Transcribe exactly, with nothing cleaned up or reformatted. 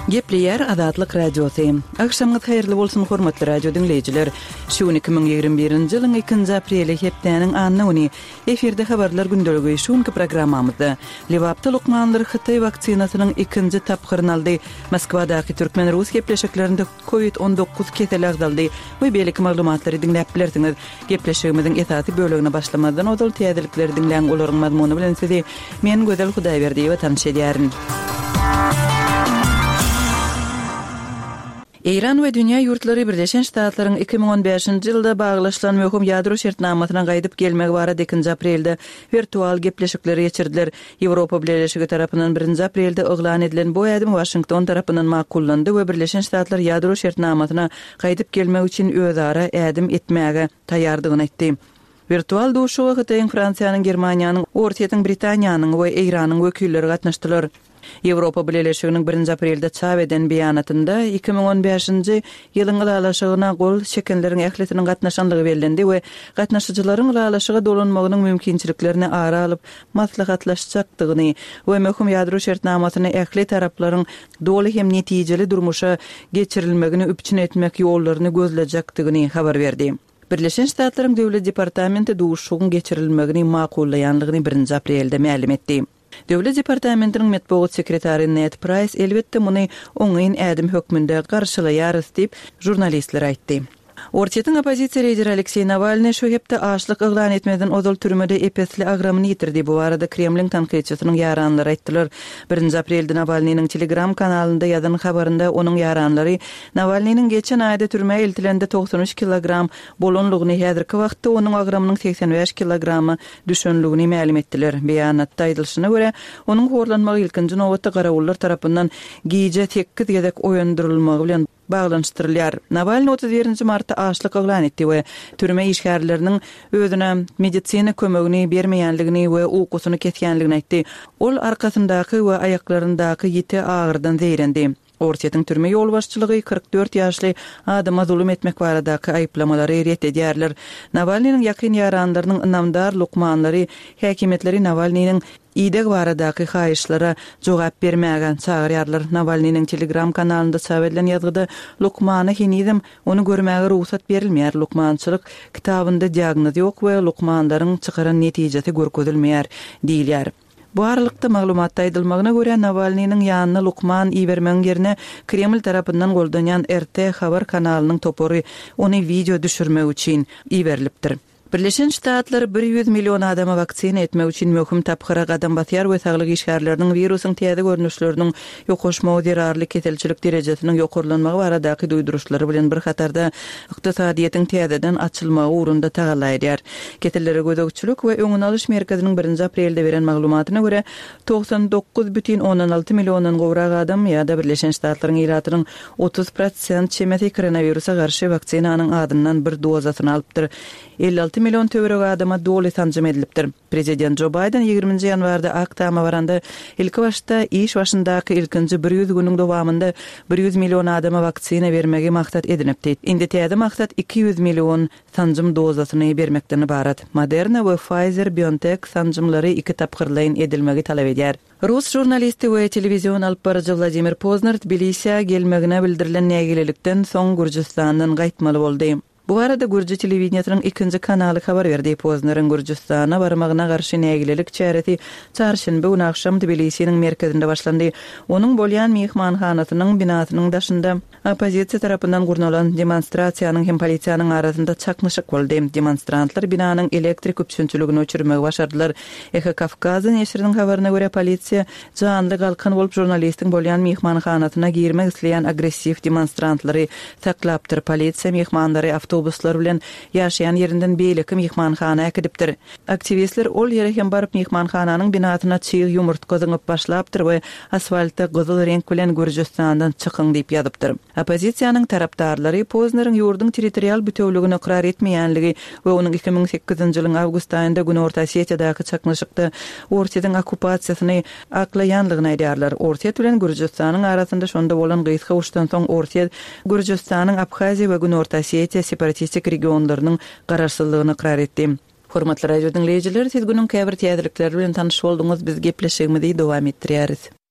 Gepleýär Azatlyk Radiosy. Agşamyňyz haýyrly bolsun, hormatly radio diňleýjiler. Şu gün iki müň ýigrimi birinji ýylyň ikinji apreli, hepdäniň anna güni. Efirde habarlar gündeligi. Şu günki programmamyzda Lebapda lukmanlar hytaý waksinasynyň ikinji tapgyryny aldy. Moskwadaky türkmen-rus gepleşiklerinde Covid on dokuz keseli agzaldy we beýleki maglumatlary diňläp bilersiňiz. Gepleşigimiziň esasy bölegine başlamazdan ozal täzelikleri diňläň, olaryň mazmuny bilen sizi men Gözel Hudaýberdiýewa tanyş edýärin. Eýran we dünýä ýurtlary Birleşen Ştatlaryň iki müň on bäşinji ýylda baglaşylan möhüm ýadro şertnamasyna gaýdyp gelmegi barada ikinji aprelde wirtual gepleşikleri geçirdiler. Ýewropa Bileleşigi tarapyndan birinji aprelde yglan edilen bu ädim Waşington tarapyndan makullandy we Birleşen Ştatlar ýadro şertnamasyna gaýdyp gelmek üçin özara ädim etmäge taýýardygyny aýtdy. Wirtual duşuşyga Hytaýyň, Fransiýanyň, Germaniýanyň, Orsýetiň, Britaniýanyň we Eýranyň wekilleri gatnaşdylar. Ýewropa Bileleşiginiň birinji aprelde çap eden beýanatynda iki müň on bäşinji ýylyň ylalaşygyna gol çekenleriň ählisiniň gatnaşandygy bellendi we gatnaşyjylaryň ylalaşyga dolanmagynyň mümkinçiliklerini ara alyp maslahatlaşjakdygyny we möhüm ýadro şertnamasyny ähli taraplaryň doly hem netijeli durmuşa geçirilmegini üpjün etmek ýollaryny gözlejekdigini habar berdi. Birleşen Ştatlaryň Döwlet departamenti duşuşygyň geçirilmegini makullaýanlygyny birinji aprelde mälim etdi. Döwlet departamentiniň metbugat sekretary Ned Praýs elbetde muny oňyn ädim hökmünde garşylaýarys diýip, žurnalistlere aýtdy. Orsýetiň oppozisiýa lideri Alekseý Nawalnyý şu hepde açlyk yglan etmezden ozal türmede ep-esli agramyny ýitirdi. Bu barada Kremliň tankytçysynyň ýaranlary aýtdylar. Birinji aprelde Nawalnynyň Telegram kanalynda ýazan habarynda onuň ýaranlary Nawalnynyň geçen aýda türmä eltilende togsan üç kilogram bolanlygyny, häzirki wagtda onuň agramynyň segsen bäş kilograma düşenligini mälim etdiler. Beýanatda aýdylyşyna görä, onuň horlanmagy ilkinji nobatda garawullar tarapyndan gije sekiz gezek oýandyrylmagy bilen baglanyşdyrylýar. Nawalny otuz birinji martda açlyk yglan etdi we türme işgärleriniň özüne medisina kömegini bermeýänligini we ukusyny kesýänligini aýtdy. Ol arkasyndaky we aýaklaryndaky ýiti agyrdan zeýrendi. Orsýetiň türme ýolbaşçylygy kyrk dört ýaşly adama zulum etmek baradaky aýyplamalary ret edýärler. Nawalnynyň ýakyn ýaranlarynyň ynamdar lukmanlary häkimiýetleri Nawalnynyň ideg baradaky haýyşlara jogap bermäge çagyrýarlar. Nawalnynyň Telegram kanalynda çap edilen ýazgyda lukmana henizem ony görmäge rugsat berilmeýär, lukmançylyk kitabynda diagnoz ýok we lukmanlaryň çykaran netijesi görkezilmeýär diýilýär. Bu aralykda maglumatda aýdylmagyna görä, Nawalnynyň ýanyna lukman ibermegiň ýerine Kreml tarapyndan goldanýan R T habar kanalynyň topary ony wideo düşürmek üçin iberilipdir. Birleşen Ştatlar bir ýüz million adama waksina etmek üçin möhüm tapgyra gadam basýar we saglyk işgärleriniň wirusyň täze görnüşleriniň ýokaşmagy zerarly keselçilik derejesiniň ýokarlanmagy baradaky duýduryşlary bilen bir hatarda ykdysadyýetiň täzeden açylmagy ugrunda tagalla edýär. Kesellere gözegçilik we öňüni alyş merkeziniň birinji aprelde beren maglumatyna görä, togsan dokuz bütin ondan alty milliondan gowrak adam ýa-da Birleşen Ştatlaryň ilatynyň otuz prosent çemesi koronawirusa garşy waksinanyň adyndan bir dozasyny alypdyr. Elli alty million töweregi adama doly sanjym edilipdir. Prezident Jo Baýden ýigriminji ýanwarda Ak Tama baranda ilki başda iş başyndaky ilkinji bir ýüz günüň dowamynda bir ýüz million adama waksina bermegi maksat edinipdi. Indi täze maksat iki ýüz million sanjym dozasyny bermekden ybarat. Moderna we Pfizer-BioNTech sanjymlary iki tapgyrlaýyn edilmegi talap edýär. Rus žurnalisti we telewizion alyp baryjy Wladimir Pozner Tbilisä gelmegine bildirilen nägilelikden soň Gürjüstandan gaýtmaly boldy. Bu barada Gürji telewideniýesiniň ikinji kanaly habar berdi. Pozneriň Gürjüstana barmagyna garşy nägilelik çäresi çarşenbe güni agşam Tbilisiniň merkezinde başlandy. Onuň bolýan myhmanhanasynyň binasynyň daşynda oppozisiýa tarapyndan gurnalan demonstrasiýanyň hem polisiýanyň arasynda çaknyşyk boldy. Demonstrantlar binanyň elektrik üpjünçiligini öçürmegi başardylar. Eho Kawkaza neşiriniň habaryna görä, polisiýa janly galkan bolup žurnalistiň bolýan myhmanhanasyna girmek isleýän agressiw demonstrantlary saklapdyr. Polisiýa myhmanlary awtobuslar bilen ýaşaýan ýerinden beýleki myhmanhana äkidipdir. Aktiwistler ol ýere hem baryp myhmanhananyň binasyna çyg ýumurtga zyňyp başlapdyr we asfaltda gyzyl reňk bilen Gürjüstandan çykyň diýip ýazypdyr. Oppozisiýanyň tarapdarlary Pozneriň ýurduň territorial bütewligini ykrar etmeýänligi we onuň iki müň sekizinji ýylyň awgust aýynda Günorta Osetiýadaky çaknyşykda Orsýetiň okkupasiýasyny aklaýanlygyny aýdýarlar. Orsýet bilen Gürjüstanyň arasynda şonda bolan gysga uruşdan soň Orsýet Gürjüstanyň Abhaziýa we Günorta Osetiýa separatistik regionlarynyň garaşsyzlygyny ykrar etdi. Hormatly radio diňleýjiler, siz günüň käbir täzelikleri bilen tanyş bolduňyz, biz gepleşigimizi dowam etdirýäris.